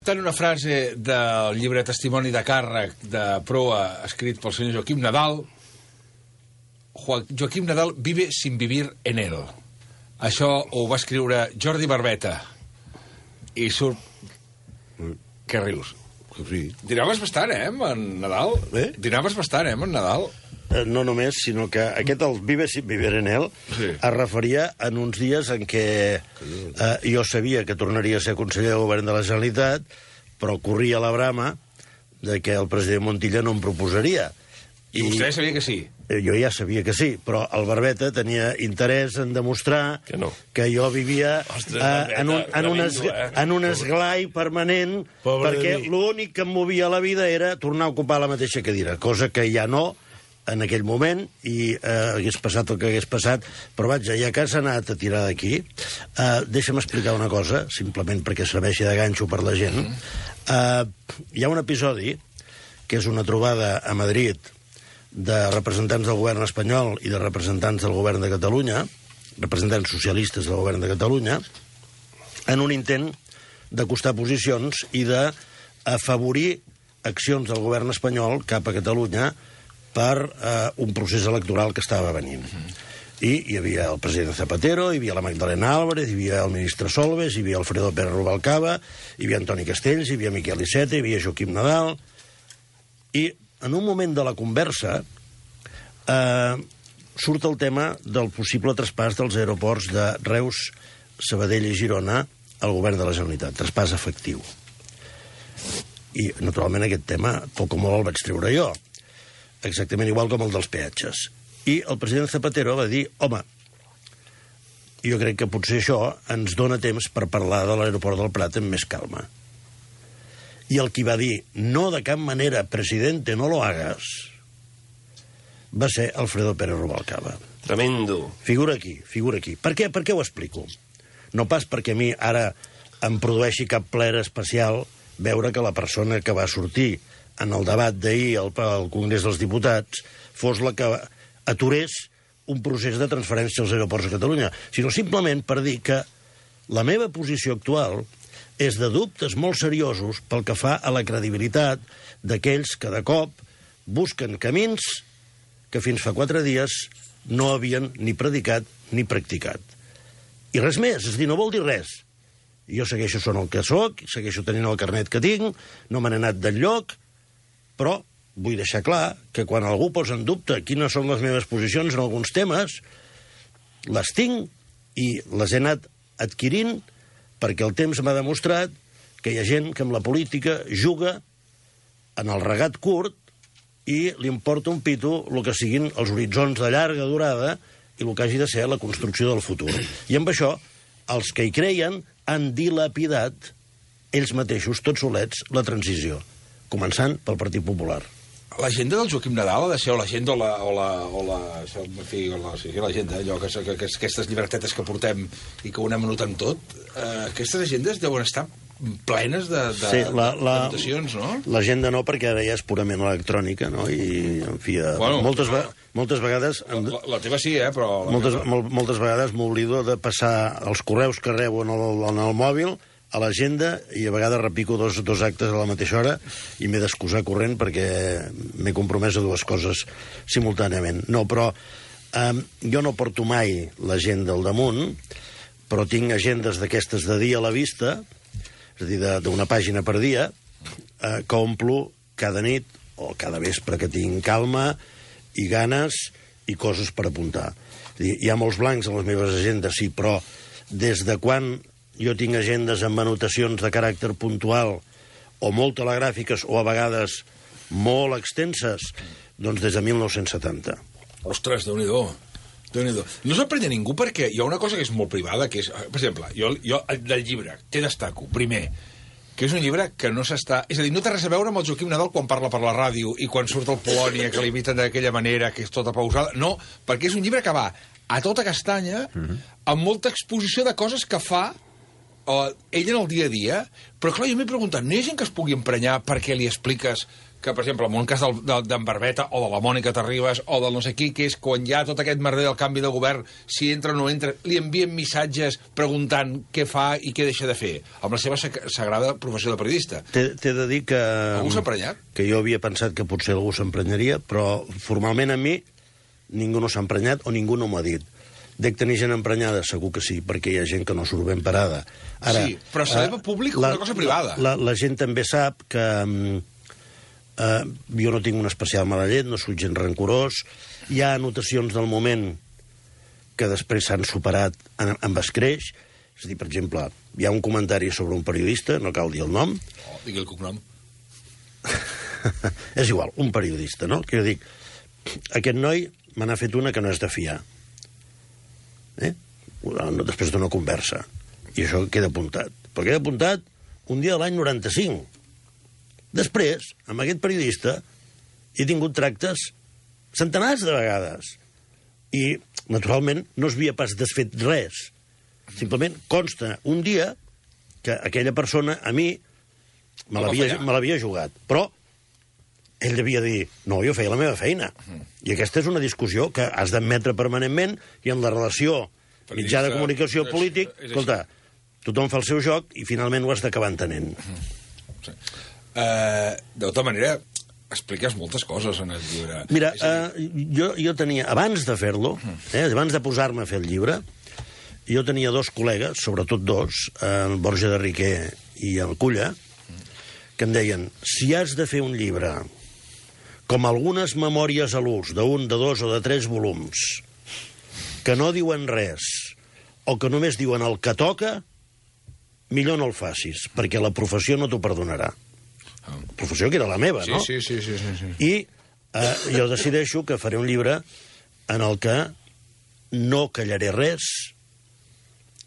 Tant una frase del llibre Testimoni de càrrec de proa escrit pel senyor Joaquim Nadal. Joaquim Nadal vive sin vivir en él. Això ho va escriure Jordi Barbeta. I surt... Què rius? Sí. Dinaves bastant, amb en Nadal? Dinaves bastant, amb en Nadal? No només, sinó que aquest, el Vive sin vivir en él, sí, es referia en uns dies en què jo sabia que tornaria a ser conseller de govern de la Generalitat, però corria la brama de que el president Montilla no em proposaria. I vostè sabia que sí? Jo ja sabia que sí, però el Barbeta tenia interès en demostrar que jo vivia en un esglai permanent, perquè l'únic que em movia a la vida era tornar a ocupar la mateixa cadira, cosa que ja no en aquell moment, i hagués passat el que hagués passat, però vaja, ja que s'ha anat a tirar d'aquí, deixa'm explicar una cosa, simplement perquè serveixi de ganxo per la gent. Hi ha un episodi, que és una trobada a Madrid de representants del govern espanyol i de representants del govern de Catalunya, representants socialistes del govern de Catalunya, en un intent d'acostar posicions i d'afavorir accions del govern espanyol cap a Catalunya per un procés electoral que estava venint. I hi havia el president Zapatero, hi havia la Magdalena Álvarez, hi havia el ministre Solbes, hi havia Alfredo Pérez Rubalcaba, hi havia Antoni Castells, hi havia Miquel Iceta, hi havia Joaquim Nadal. I en un moment de la conversa surt el tema del possible traspàs dels aeroports de Reus, Sabadell i Girona al govern de la Generalitat, traspàs efectiu. I, naturalment, aquest tema, poc o molt el vaig treure jo, exactament igual com el dels peatges. I el president Zapatero va dir, home, jo crec que potser això ens dona temps per parlar de l'aeroport del Prat amb més calma. I el qui va dir, no, de cap manera, presidente, no lo hagas, va ser Alfredo Pérez Rubalcaba. Tremendo. Figura aquí, figura aquí. Per què ho explico? No pas perquè a mi ara em produeixi cap plaer especial veure que la persona que va sortir en el debat d'ahir al Congrés dels Diputats fos la que aturés un procés de transferència als aeroports de Catalunya, sinó simplement per dir que la meva posició actual és de dubtes molt seriosos pel que fa a la credibilitat d'aquells que de cop busquen camins que fins fa 4 dies no havien ni predicat ni practicat. I res més, és a dir, no vol dir res. Jo segueixo sent el que soc, segueixo tenint el carnet que tinc, no me n'he anat d'enlloc, però vull deixar clar que quan algú posa en dubte quines són les meves posicions en alguns temes, les tinc i les he anat adquirint perquè el temps m'ha demostrat que hi ha gent que amb la política juga en el regat curt i li importa un pito el que siguin els horitzons de llarga durada i el que hagi de ser la construcció del futur. I amb això, els que hi creien han dilapidat ells mateixos, tots solets, la transició, començant pel Partit Popular. L'agenda del Joaquim Nadal ha de ser l'agenda l'agenda, allò que aquestes llibretetes que portem i que ho anem anotant tot, aquestes agendes deuen estar plenes de notacions, no? L'agenda no, perquè ara ja és purament electrònica, no? I, en fi, moltes vegades... La teva sí, però... Moltes vegades m'oblido de passar els correus que rebo en el mòbil a l'agenda i a vegades repico dos actes a la mateixa hora i m'he d'excusar corrent perquè m'he compromès a 2 coses simultàniament. No, però jo no porto mai l'agenda al damunt, però tinc agendes d'aquestes de dia a la vista, és a dir, d'una pàgina per dia, que omplo cada nit o cada vespre que tinc calma i ganes i coses per apuntar. És a dir, hi ha molts blancs en les meves agendes, sí, però des de quan jo tinc agendes amb anotacions de caràcter puntual o molt telegràfiques o a vegades molt extenses, doncs des de 1970. Ostres, Déu-n'hi-do. No s'aprenya ningú perquè hi ha una cosa que és molt privada, que és, per exemple, jo del llibre te destaco, primer, que és un llibre que no s'està... És a dir, no té res a veure amb el Joaquim Nadal quan parla per la ràdio i quan surt el Polònia, que l'imiten d'aquella manera, que és tota pausada. No, perquè és un llibre que va a tota castanya, amb molta exposició de coses que fa ell en el dia a dia, però clar, jo m'he preguntat, no hi ha gent que es pugui emprenyar perquè li expliques que, per exemple, en un cas d'en Barbeta o de la Mònica Terribas o del no sé qui, que és quan hi ha tot aquest merder del canvi de govern, si entra o no entra, li envien missatges preguntant què fa i què deixa de fer, amb la seva sagrada professió de periodista. T'he de dir que... Algú s'ha emprenyat? Que jo havia pensat que potser algú s'emprenyaria, però formalment a mi ningú no s'ha emprenyat o ningú no m'ho ha dit. Dec tenir gent emprenyada, segur que sí, perquè hi ha gent que no surt ben parada. Ara, sí, però saber públic una cosa privada. La gent també sap que... jo no tinc una especial mala llet, no soc gent rancorós, hi ha anotacions del moment que després s'han superat amb escreix, és a dir, per exemple, hi ha un comentari sobre un periodista, no cal dir el nom. Digui el cognom. És igual, un periodista, no? Que jo dic, aquest noi me n'ha fet una que no és de fiar. Després d'una conversa. I això queda apuntat. Però queda apuntat un dia de l'any 95. Després, amb aquest periodista, he tingut tractes centenars de vegades. I, naturalment, no es havia pas desfet res. Simplement consta un dia que aquella persona, a mi, me l'havia jugat. Però ell devia dir, no, jo feia la meva feina. I aquesta és una discussió que has d'admetre permanentment i en la relació mitjà de comunicació polític, escolta, tothom fa el seu joc i finalment ho has d'acabar entenent. Sí. De tota manera, expliques moltes coses en el llibre. Mira, jo tenia, abans de fer-lo, abans de posar-me a fer el llibre, jo tenia dos col·legues, sobretot dos, el Borja de Riquer i el Culla, que em deien, si has de fer un llibre com algunes memòries a l'ús d'un, de dos o de tres volums, que no diuen res, o que només diuen el que toca, millor no el facis, perquè la professió no t'ho perdonarà. Professió que era la meva, no? Sí. I jo decideixo que faré un llibre en el que no callaré res,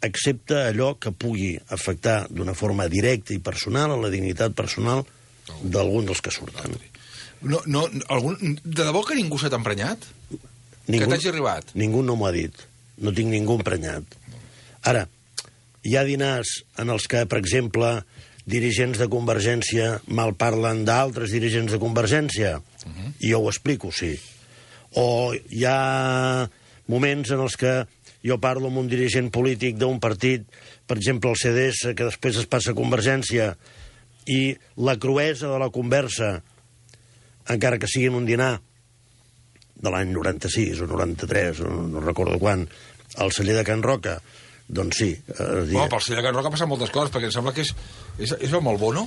excepte allò que pugui afectar d'una forma directa i personal a la dignitat personal d'algun dels que surten. De debò que ningú s'ha emprenyat? Que t'hagi arribat? Ningú no m'ho ha dit. No tinc ningú emprenyat. Ara, hi ha dinars en els que, per exemple, dirigents de Convergència mal parlen d'altres dirigents de Convergència, i jo ho explico, sí. O hi ha moments en els que jo parlo amb un dirigent polític d'un partit, per exemple el CDS, que després es passa a Convergència, i la cruesa de la conversa, encara que sigui en un dinar de l'any 96 o 93, o no recordo quan, al celler de Can Roca, doncs sí. Pel celler de Can Roca passen moltes coses, perquè em sembla que és amb el Bono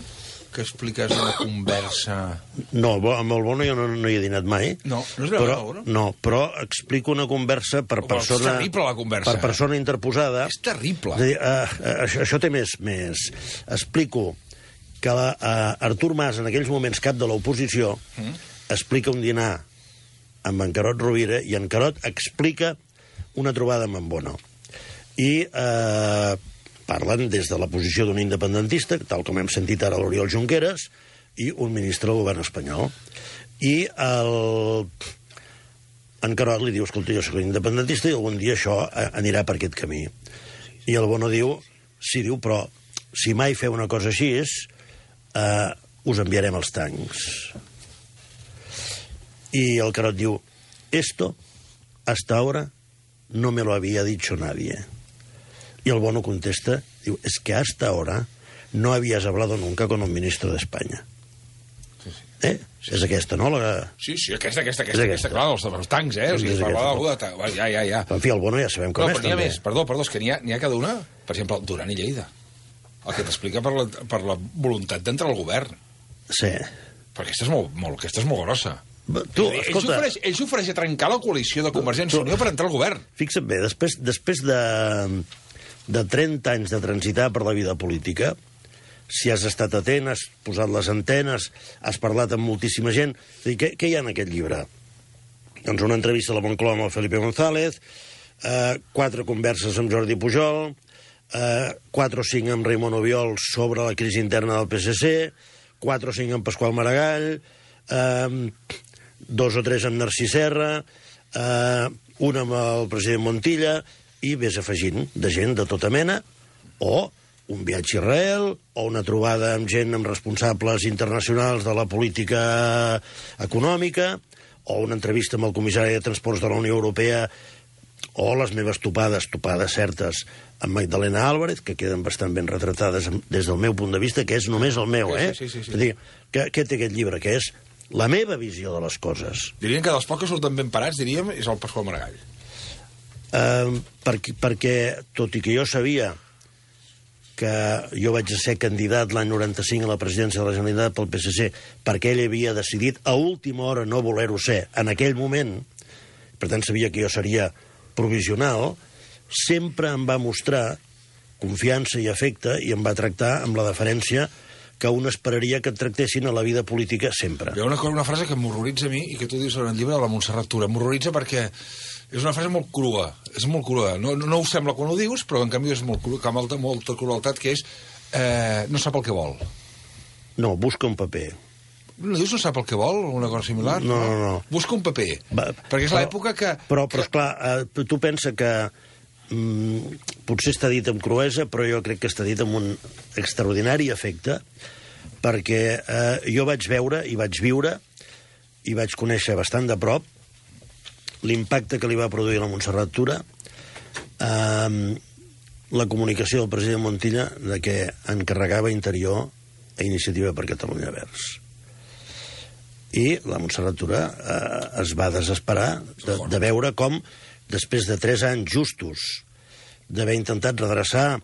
que expliques una conversa... No, amb el Bono jo no hi he dinat mai. No és veu amb el Bono? No, però explico una conversa per persona... És terrible, la conversa. Per persona interposada. És terrible. És a dir, això té més. Explico que Artur Mas, en aquells moments cap de l'oposició, explica un dinar amb en Carod Rovira, i en Carod explica una trobada amb en Bono. I parlen des de la posició d'un independentista, tal com hem sentit ara l'Oriol Junqueras, i un ministre del govern espanyol. I en Carod li diu, escolta, jo soc independentista i algun dia això anirà per aquest camí. I el Bono diu, sí, diu, però si mai feu una cosa així us enviarem els tancs. I el Carod diu, esto hasta ahora no me lo había dicho nadie. Y el Bono contesta, diu, es que hasta ahora no habías hablado nunca con un ministro de España. Sí. És aquesta, no? Sí, aquesta, clar, els tancs, o sigui, es parlava d'algú de tancs, ja. En fi, el Bono ja sabem com és, també. Però n'hi ha més, perdó, és que n'hi ha cada una, per exemple, Duran i Lleida, el que t'explica per la voluntat d'entrar al govern. Sí. Però aquesta és molt grossa. Escolta... Ell s'ofereix a trencar la coalició de Convergència i Unió per entrar al govern. Fixa't bé, després de 30 anys de transitar per la vida política, si has estat atent, has posat les antenes, has parlat amb moltíssima gent... Què hi ha en aquest llibre? Doncs una entrevista a la Moncloa amb el Felipe González, 4 converses amb Jordi Pujol, 4 o 5 amb Raimon Obiols sobre la crisi interna del PSC, 4 o 5 amb Pasqual Maragall, 2 o 3 amb Narcís Serra, un amb el president Montilla, i ves afegint de gent de tota mena, o un viatge a Israel, o una trobada amb gent, amb responsables internacionals de la política econòmica, o una entrevista amb el comissari de Transports de la Unió Europea, o les meves topades certes, amb Magdalena Álvarez, que queden bastant ben retratades des del meu punt de vista, que és només el meu, Sí. És a dir, què té aquest llibre? Que és la meva visió de les coses. Dirien que dels pocs que surten ben parats, diríem, és el Pasqual Maragall. Perquè, tot i que jo sabia que jo vaig ser candidat l'any 95 a la presidència de la Generalitat pel PSC, perquè ell havia decidit a última hora no voler-ho ser en aquell moment, per tant sabia que jo seria provisional, sempre em va mostrar confiança i afecte i em va tractar amb la deferència que un esperaria que et tractessin a la vida política sempre. Hi ha una frase que m'horroritza a mi i que tu dius en el llibre de la Montserrat Tura. M'horroritza perquè és una frase molt crua. És molt crua. No ho sembla quan ho dius, però en canvi és molt crua, que molta crueltat, que és no sap el que vol. No, busca un paper. No dius no sap el que vol, una cosa similar? No. Busca un paper. Perquè és l'època que... Però esclar, tu pensa que potser està dit amb cruesa, però jo crec que està dit amb un extraordinari efecte, perquè jo vaig veure i vaig viure i vaig conèixer bastant de prop l'impacte que li va produir a la Montserrat Tura la comunicació del president Montilla de que encarregava Interior a Iniciativa per Catalunya Verds. I la Montserrat Tura es va desesperar de veure com, després de 3 anys justos d'haver intentat redreçar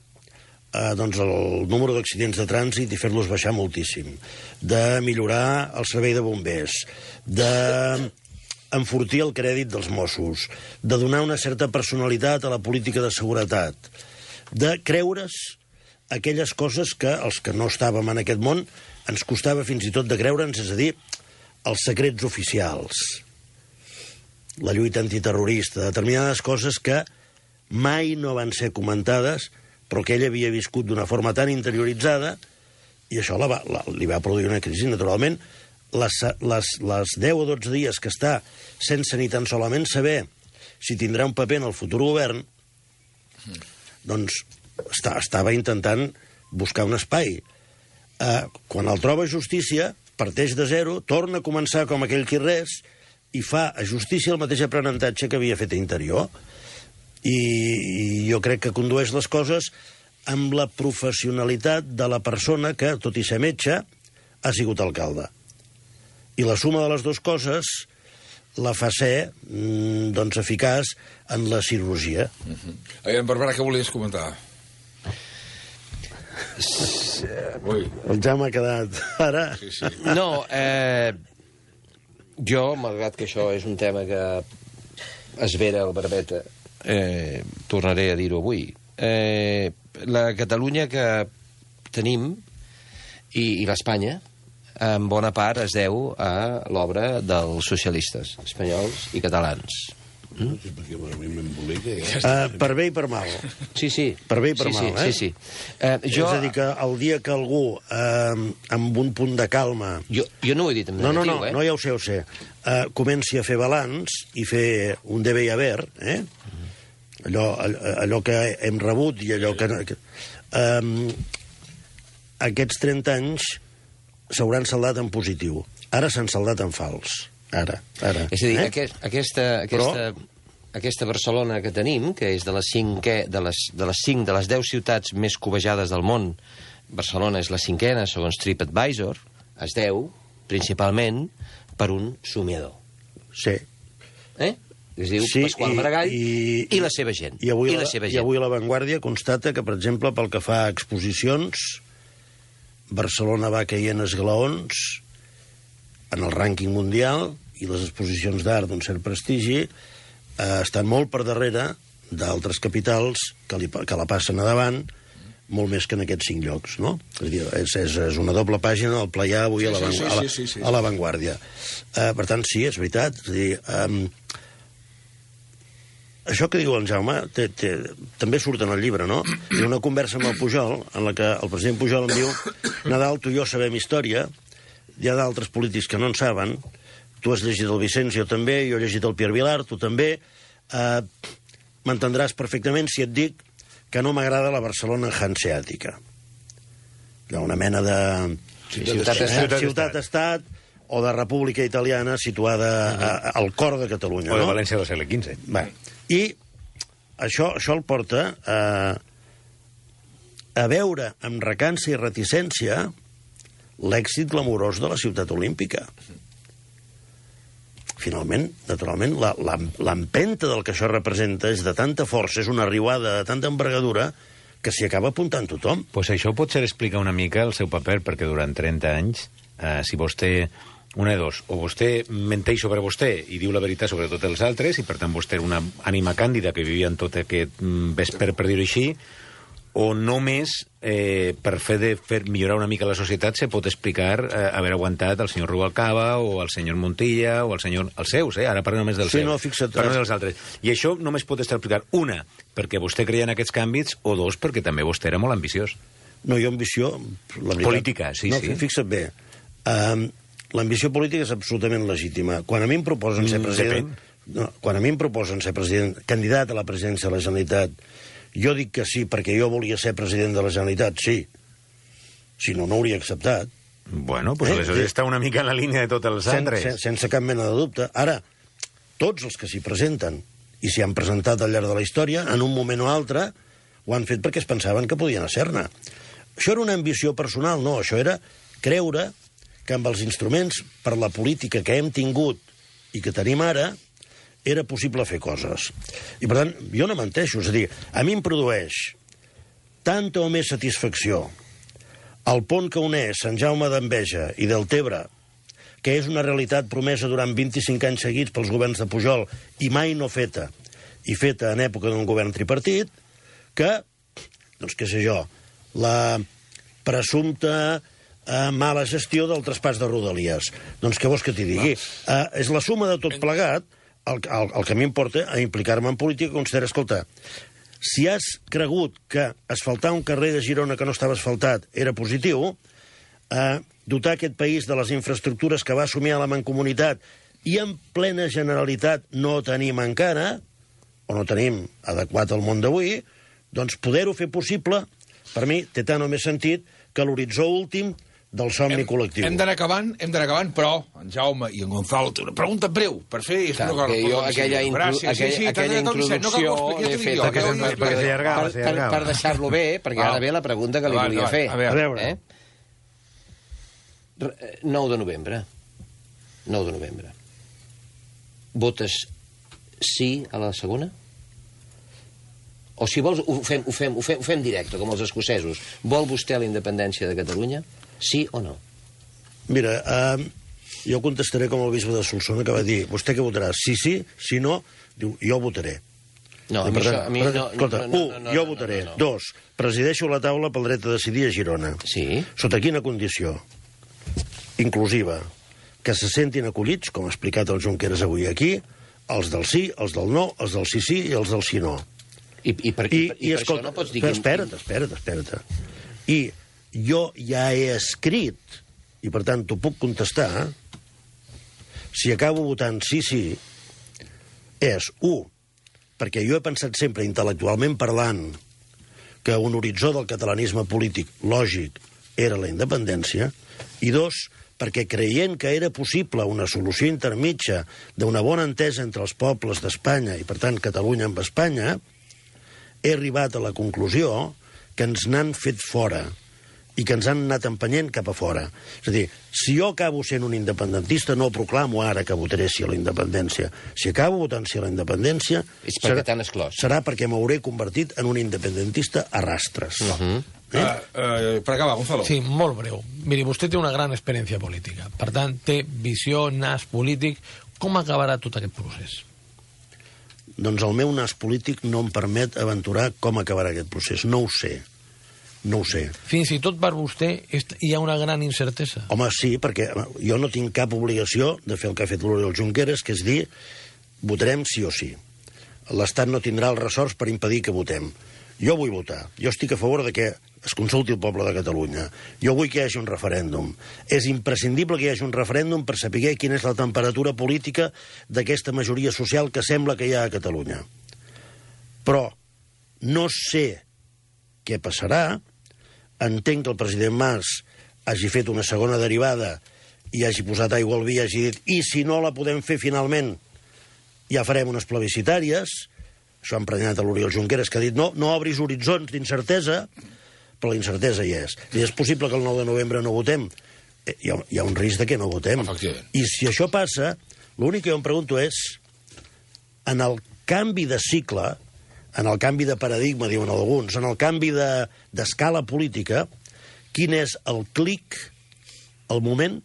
doncs el número d'accidents de trànsit i fer-los baixar moltíssim, de millorar el servei de bombers, d'enfortir el crèdit dels Mossos, de donar una certa personalitat a la política de seguretat, de creure's aquelles coses que els que no estàvem en aquest món ens costava fins i tot de creure'ns, és a dir, els secrets oficials, la lluita antiterrorista, determinades coses que mai no van ser comentades, però que ell havia viscut d'una forma tan interioritzada, i això li va produir una crisi, naturalment. Les 10 o 12 dies que està sense ni tan solament saber si tindrà un paper en el futur govern, doncs estava intentant buscar un espai. Quan el troba Justícia, parteix de zero, torna a començar com aquell qui res, i fa a Justícia el mateix aprenentatge que havia fet a Interior. I jo crec que condueix les coses amb la professionalitat de la persona que, tot i ser metge, ha sigut alcalde. I la suma de les dues coses la fa ser doncs, eficaç en la cirurgia. Aviam, Barbara, què volies comentar? El ja m'ha quedat ara. Sí. No, jo, malgrat que això és un tema que esvera el Barbeta, tornaré a dir-ho avui. La Catalunya que tenim i l'Espanya, en bona part es deu a l'obra dels socialistes espanyols i catalans. Per bé i per mal. Sí. Per bé i per mal, Sí. És a dir, que el dia que algú, amb un punt de calma... Jo no ho he dit en negatiu, No, ja ho sé. Comenci a fer balanç i fer un debe i haver, allò que hem rebut i allò que... Aquests 30 anys s'hauran saldat en positiu. Ara s'han saldat en fals. Ara. És a dir, aquesta Barcelona que tenim, que és de les 10 ciutats més covejades del món, Barcelona és la 5a, segons TripAdvisor, es deu, principalment, per un somiador. Sí. Es diu Pasqual Maragall i la seva gent. I avui La Vanguardia constata que, per exemple, pel que fa a exposicions, Barcelona va caient esglaons en el rànquing mundial i les exposicions d'art d'un cert prestigi estan molt per darrere d'altres capitals que la passen a davant molt més que en aquests 5 llocs, no? És una doble pàgina del Playà avui a La Vanguardia. Per tant, sí, és veritat. És a dir, això que diu en Jaume també surt en el llibre, no? Hi ha una conversa amb el Pujol en la que el president Pujol em diu: Nadal, tu i jo sabem història, hi ha d'altres polítics que no en saben, tu has llegit el Vicenç, jo també, jo he llegit el Pierre Vilar, tu també, m'entendràs perfectament si et dic que no m'agrada la Barcelona hanseàtica. d'una mena de ciutat-estat o de república italiana situada al cor de Catalunya. O de València del segle XV. Bé, i això el porta a veure amb recança i reticència l'èxit glamurós de la ciutat olímpica. Finalment, naturalment, l'empenta del que això representa és de tanta força, és una riuada de tanta envergadura, que s'hi acaba apuntant tothom. Pues això potser explica una mica el seu paper, perquè durant 30 anys, si vostè, una de dos, o vostè menteix sobre vostè i diu la veritat sobre tots els altres, i per tant vostè era una ànima càndida que vivia en tot aquest vesper, per dir-ho així, o només per fer millorar una mica la societat se pot explicar haver aguantat el senyor Rubalcaba o el senyor Montilla o el senyor... els seus, ara parlo només dels seus. No, fixa't. Parlo dels altres. I això només pot estar explicat, una, perquè vostè creia en aquests canvis, o dos, perquè també vostè era molt ambiciós. No, jo ambició... La veritat, política, sí. Fixa't bé. L'ambició política és absolutament legítima. Quan a mi em proposen ser president... quan a mi em proposen ser president, candidat a la presidència de la Generalitat, jo dic que sí perquè jo volia ser president de la Generalitat, sí. Si no, no hauria acceptat. Bueno, pues aleshores està una mica en la línia de tots els altres. Sense cap mena de dubte. Ara, tots els que s'hi presenten i s'hi han presentat al llarg de la història, en un moment o altre, ho han fet perquè es pensaven que podien ser-ne. Això era una ambició personal, no. Això era creure que amb els instruments per la política que hem tingut i que tenim ara, era possible fer coses. I, per tant, jo no menteixo. És a dir, a mi em produeix tanta o més satisfacció el pont que uneix Sant Jaume d'Enveja i Deltebre, que és una realitat promesa durant 25 anys seguits pels governs de Pujol i mai no feta, i feta en època d'un govern tripartit, que, doncs què sé jo, la presumpta mala gestió del traspàs de Rodalies. Doncs què vols que t'hi digui? És la suma de tot plegat. El que a mi em porta a implicar-me en política, considera, escolta, si has cregut que asfaltar un carrer de Girona que no estava asfaltat era positiu, dotar aquest país de les infraestructures que va assumir a la Mancomunitat i en plena generalitat no tenim encara, o no tenim adequat al món d'avui, doncs poder-ho fer possible, per mi, té tant o més sentit que l'horitzó últim del somni col·lectiu. Hem d'anar acabant, però en Jaume i en Gonzalo té una pregunta breu per fer... Jo aquella introducció l'he fet per deixar-lo bé, perquè ara ve la pregunta que li volia fer. A veure. 9 de novembre. 9 de novembre. Votes sí a la segona? O si vols, ho fem directe, com els escocesos. Vol vostè la independència de Catalunya? Sí o no? Mira, jo contestaré com el bisbe de Solsona, que va dir, vostè què votarà? Sí, si no, diu, jo votaré. No, a mi no... Escolta, jo votaré. 2, presideixo la taula pel dret a decidir a Girona. Sí. Sota quina condició? Inclusiva. Que se sentin acollits, com ha explicat el Junqueras avui aquí, els del sí, els del no, els del sí i els del sí no. I per això no pots dir... Espera't. I jo ja he escrit, i per tant t'ho puc contestar, si acabo votant sí, és 1, perquè jo he pensat sempre, intel·lectualment parlant, que un horitzó del catalanisme polític lògic era la independència, i 2, perquè creient que era possible una solució intermitja d'una bona entesa entre els pobles d'Espanya i, per tant, Catalunya amb Espanya, he arribat a la conclusió que ens n'han fet fora i que ens han anat empenyent cap a fora. És a dir, si jo acabo sent un independentista, no proclamo ara que votaré sí a la independència. Si acabo votant sí a la independència... És perquè t'han exclòs. Serà perquè m'hauré convertit en un independentista a rastres. Per acabar, Gonzalo. Sí, molt breu. Miri, vostè té una gran experiència política. Per tant, té visió, nas polític. Com acabarà tot aquest procés? Doncs el meu nas polític no em permet aventurar com acabarà aquest procés. No ho sé. Fins i tot per vostè hi ha una gran incertesa. Home, sí, perquè jo no tinc cap obligació de fer el que ha fet l'Oriol Junqueras, que és dir, votarem sí o sí. L'Estat no tindrà els ressorts per impedir que votem. Jo vull votar. Jo estic a favor de que es consulti el poble de Catalunya. Jo vull que hi hagi un referèndum. És imprescindible que hi hagi un referèndum per saber quina és la temperatura política d'aquesta majoria social que sembla que hi ha a Catalunya. Però no sé què passarà entenc que el president Mas hagi fet una segona derivada i hagi posat aigua al vi i hagi dit i si no la podem fer finalment ja farem unes plebiscitàries. Això ha emprenyat a l'Oriol Junqueras, que ha dit no obris horitzons d'incertesa, però la incertesa hi és. I és possible que el 9 de novembre no votem. Hi ha un risc de que no votem. I si això passa, l'únic que jo em pregunto és, en el canvi de cicle, en el canvi de paradigma, diuen alguns, en el canvi d'escala política, quin és el clic, el moment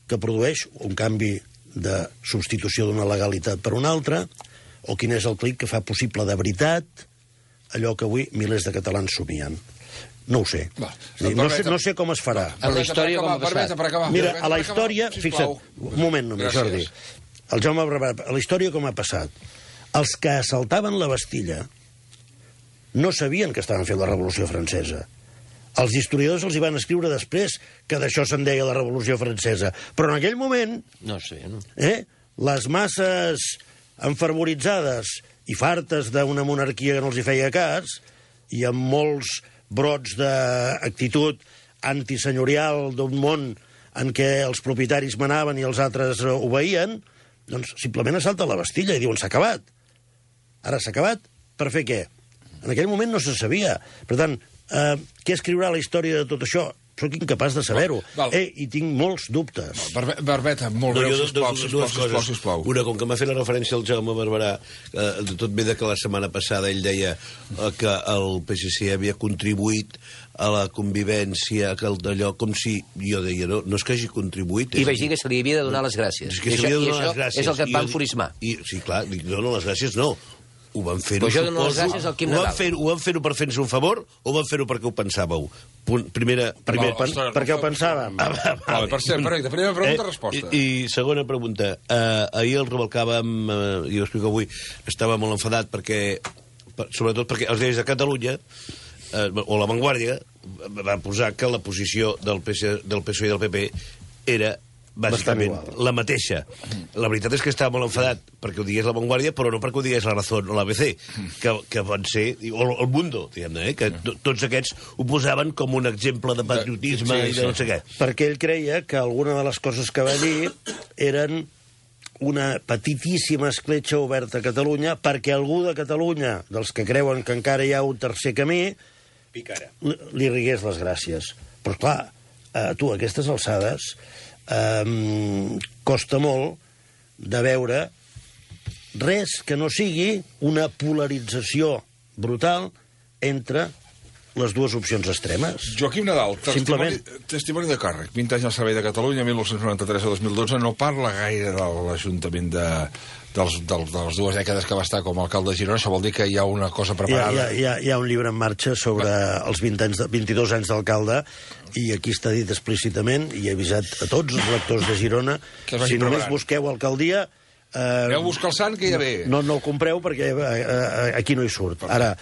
que produeix un canvi de substitució d'una legalitat per una altra, o quin és el clic que fa possible de veritat allò que avui milers de catalans somien. No ho sé. No sé com es farà. A la història com ha passat. Mira, a la història, fixa't, un moment només, Jordi. El Jaume Barbat, a la història com ha passat. Els que assaltaven la Bastilla no sabien que estaven fent la Revolució Francesa. Els historiadors els hi van escriure després que d'això se'n deia la Revolució Francesa. Però en aquell moment... No sé, no? Les masses enfervoritzades i fartes d'una monarquia que no els hi feia cas, i amb molts brots d'actitud antisenyorial d'un món en què els propietaris manaven i els altres obeïen, doncs simplement assalta la Bastilla i diuen s'ha acabat. Ara s'ha acabat per fer què? En aquell moment no se sabia. Per tant, què escriurà la història de tot això? Soc incapaç de saber-ho. I tinc molts dubtes. Barbeta, molt breu, sisplau. Una, com que m'ha fet la referència al Jaume Barberà, de tot ve que la setmana passada ell deia que el PSC havia contribuït a la convivència, que d'allò, com si... Jo deia, no és que hagi contribuït... I vaig dir que se li havia de donar les gràcies. I això és el que et va enfurismar. Sí, clar, no, les gràcies no. Ho van fer-ho, suposo. Ho van fer-ho per fer-nos un favor o van fer-ho perquè ho pensàveu? Perquè ho pensàvem. Perfecte, primera pregunta, resposta. I segona pregunta. Ahir el Rubalcàvem, i ho explico avui, estava molt enfadat perquè, sobretot perquè els diaris de Catalunya, o La Vanguardia, va posar que la posició del PSOE i del PP era bàsicament la mateixa. La veritat és que estava molt enfadat perquè ho digués La Vanguardia, però no perquè ho digués La Razón o l'ABC, que van ser... o El Mundo, diguem-ne, que tots aquests ho posaven com un exemple de patriotisme i de no sé què. Perquè ell creia que alguna de les coses que va dir eren una petitíssima escletxa oberta a Catalunya perquè algú de Catalunya, dels que creuen que encara hi ha un tercer camí, li rigués les gràcies. Però, clar, tu, a aquestes alçades... costa molt de veure res que no sigui una polarització brutal entre les dues opcions extremes. Joaquim Nadal, testimoni de càrrec, 20 anys al servei de Catalunya, 1993 a 2012, no parla gaire de l'Ajuntament de les dues dècades que va estar com a alcalde de Girona. Això vol dir que hi ha una cosa preparada. Hi ha un llibre en marxa sobre els 22 anys d'alcalde, i aquí està dit explícitament, i he avisat a tots els lectors de Girona, si només busqueu alcaldia... Aneu a buscar el sant, que ja ve. No el compreu, perquè aquí no hi surt. Ara,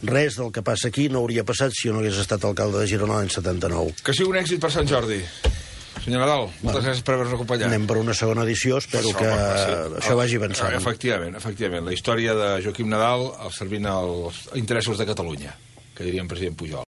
res del que passa aquí no hauria passat si jo no hagués estat alcalde de Girona l'any 79. Que sigui un èxit per Sant Jordi. Senyor Nadal, moltes gràcies per haver-nos acompanyat. Anem per una segona edició, espero que això vagi avançant. Efectivament. La història de Joaquim Nadal servint als interessos de Catalunya, que diria el president Pujol.